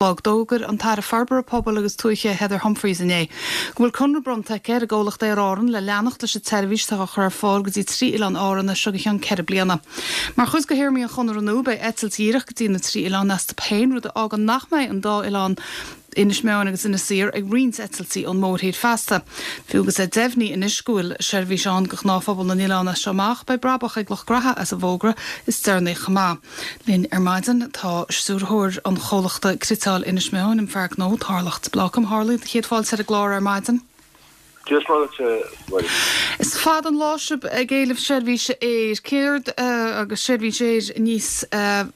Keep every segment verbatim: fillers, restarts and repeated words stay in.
Chlog. D'fhógair an tAire Forbartha Pobail agus Tuaithe Heather Humphreys inné go bhfuil conradh bronnta aici ar an gcomhlacht Aer Árann le leanacht leis an tseirbhís atá á chur ar fáil go dtí trí oileán Árann as seo go ceann ceithre bliana. Mar chuid de théarmaí an chonartha nua beidh eitilt dhíreach go dtí na trí oileán astu féin, rud a fhágann nach mbeidh an dá oileán Inis Meáin agus Inis Oírr ag roinnt eitiltí ón mórthír feasta. Fiú agus é deimhnithe anois go bhfuil seirbhís ann do ghnáthphobal na n-oileán as seo amach, beidh brabach ag lucht graithe as an bhfógra is deireanaí chomh maith. Linn ar maidin tá stiúrthóir an chomhlachta Cniotáil Inis Meáin, an fear gnó Tarlach de Blácam. A Tharlaigh, céad fáilte ar an gclár ar maidin. Dia is Muire duit, a Mháirín. Is fada an lá sibh ag éileamh seirbhíse aeir. Céard agus seirbhís aeir níos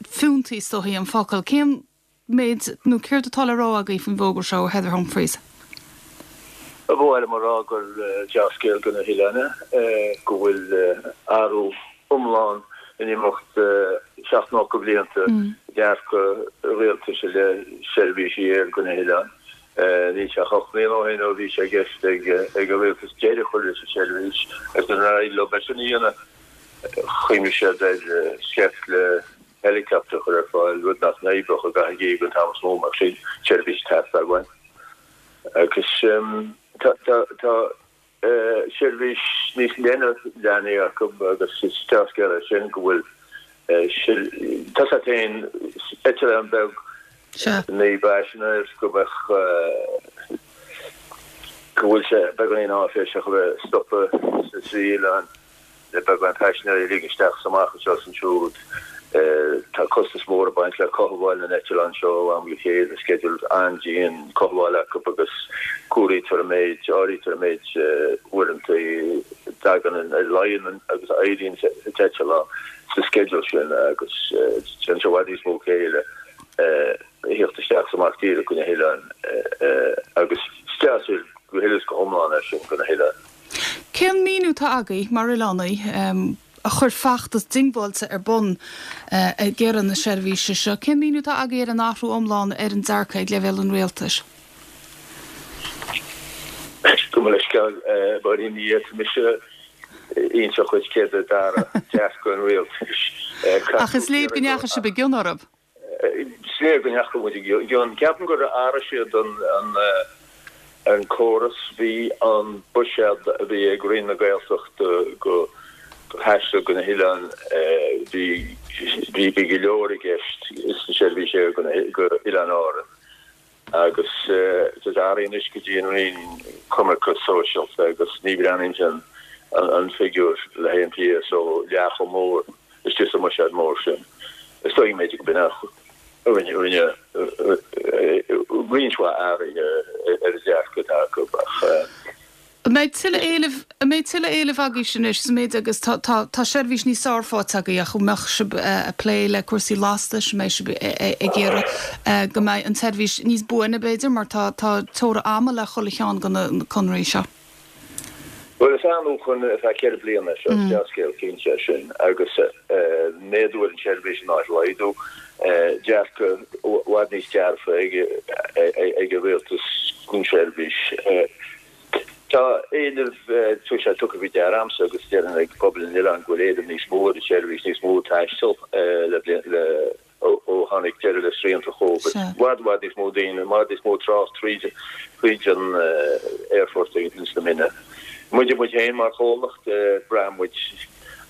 fiúntaí is dóichí an focal. Cén méid nó céard atá le rá agaibh faoin bhfógra seo ó Heather Humphreys? Ba mhaith liom a rá gur dea-scéal do na hoileáin é go bhfuil athrú iomlán in imeacht seacht nócha blianta dearcadh rialtais i leith seirbhísí aeir do na hoileáin. Níl sé ach ocht mbliana ó shin ó bhí sé i gceist ag an rialtas deireadh a chur leis an tseirbhís agus nuair nár éirigh leo é sin a dhéanamh chuimhnigh siad ar sheift le helicopter a chur ar fáil, rud nach n-oibreodh i gcaitheamh an gheimhridh an t-am is mó, mar sin seirbhís ag teastáil uainn. Agus tá seirbhís níos leithne leantaithe acu agus is dea-scéal é sin go bhfuil tá sé féin eitleán beag naoi bpaisinéir go mbeadh go bhfuil sé beagáinín áiféiseach a bheith ag stopadh sna trí oileán. Le beagán paisinéirí a ligean isteach is amach anseo is ansiúd, tá costas mór ag baint le cothabháil na n-eitleán seo ó am go chéile, sceideal an-dian cothabhála acu agus comhairítear an méid, áirítear an méid uaireanta a dtagann, a luíonn agus a éiríonn an t-eitleán sa sceideal sin agus déanann sé i bhfad níos mó céille a thíocht isteach is amach díreach go na hoileáin agus is dea-scéal go huile is go hiomlán é sin do na hoileáin. Cén míniú atá agaibh, mar oileánaigh, a chuir feachtas diongbháilte ar bun ag iarraidh na seirbhíse seo, cén míniú atá agaibh ar an athrú iomlán ar an dearcadh ag leibhéal an rialtais? Gabh mo leithscéal, a Mháirín, ní fhéadfaidh mise inseacht dhuit céard a d'athraigh dearcadh an rialtais. Ach is léir go ndeachaigh sibh i gcion orthu. Is léir go ndeachaigh muid i gcion. Ceapaim gur athraigh siad an córas. Bhí an buiséad a bhí ag Roinn na Gaeltachta do thaisteal go na hoileáin, bhí bhí go leor i gceist sna seirbhísí aeir go Oileáin Árann. Agus tá sé athraithe anois go dtí an Roinn Coimirce Sóisialta agus ní bhreathnaíonn an figiúr le haghaidh an PSO leath chomh mór istigh sa mbuiséad mór sin. Is dóigh b'fhéidir go b'in a rinne roinnt mhaith athruithe ar an dearcadh atá acu ach. An mbeidh tuilleadh éilimh, an mbeidh tuilleadh éilimh agaibhse anois sa méid agus tá, tá, tá seirbhís níos fearr faighte agaibh ach an mbeadh sibh ag plé le cúrsaí lastais, an mbeidh sibh ag iarraidh go mbeidh an tseirbhís níos buaine b'fhéidir mar tá, tá teora ama le chuile cheann de na conarthaí seo? Bhuel is athnuachan ar feadh ceithre bliana é seo, is dea-scéal cinnte é sin agus méadú ar an tseirbhís in áit laghdú, dearcadh i bhfad níos dearfa ag ag an rialtas don tseirbhís. Tá éileamh, tá sé tugtha faoi deara a'msa agus déarfainn ag pobal an oileáin go bhfuil éileamh níos mó ar an tseirbhís, níos mó taistil le le ó tháinig deireadh le srianta Covid. I bhfad, i bhfad níos mó daoine, i bhfad níos mó trácht tríd tríd an aerfort ins na Minna. Muide muid féin mar chomhlacht, braitheann muid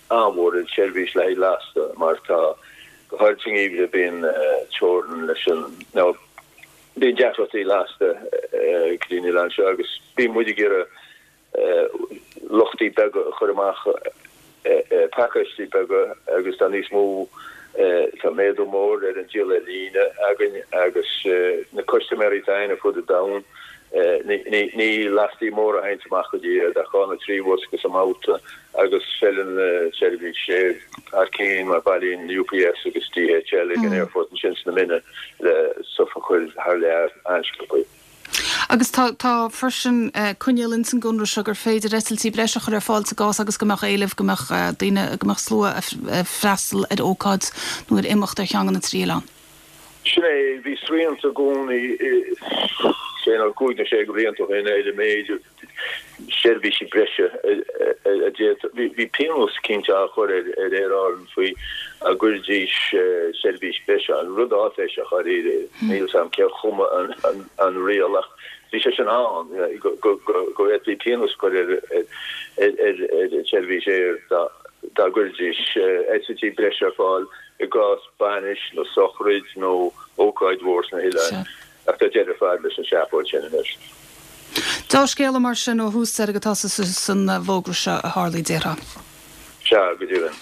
an-mhór ar an tseirbhís le haghaidh lasta mar tá, go háirid sa ngeimhreadh, bíonn teorainn leis an, nó, Bíonn deacrachtaí lasta go dtí an oileán seo agus bíonn muid ag iarraidh luchtaí beaga a chur amach, pacáistí beaga agus tá níos mó, tá méadú mór ar an díol ar líne againn agus na custaiméirí atá againn ar fud an domhain, ní lastaí móra a théanns amach go dtí iad ach dhá nó trí bhosca sa mbabhta agus feileann seirbhís aeir thar cinn mar bailíonn UPS agus DHL ag an aerfort ansin sna Minna le stuif a chur thar lear an-sciobtha. Agus tá tá freisin coinníoll ins an gconradh seo gur féidir eitiltí breise a chur ar fáil sa gcás agus go mbeadh éileamh, go mbeadh daoine, go mbeadh slua ag freastal ar ócáid nó ar imeacht ar cheann de na trí oileán. Sin é, bhí srianta i gcónaí sé nó cúig nó sé de bhlianta ó shin ar an méid seirbhísí breise a d'fhéadfadh. Bhí pionós cinnte á chur ar Aer Árann faoi dá gcuirdís seirbhís breise ann, rud áiféiseach dáiríre, níl 's a'm cé a chum an riail ach bhí sé sin ann, go bhféadfaí pionós a chur ar an tseirbhís aeir dá gcuirdís eitiltí breise ar fáil i gcás bainis nó sochraid nó ócáid mhór sna hoileáin. Ach tá deireadh ar fad leis an seafóid sin anois. Dea-scéala mar sin ó thús deireadh atá san bhfógra seo a Tharlaigh, déarfá. Sea, go deimhin.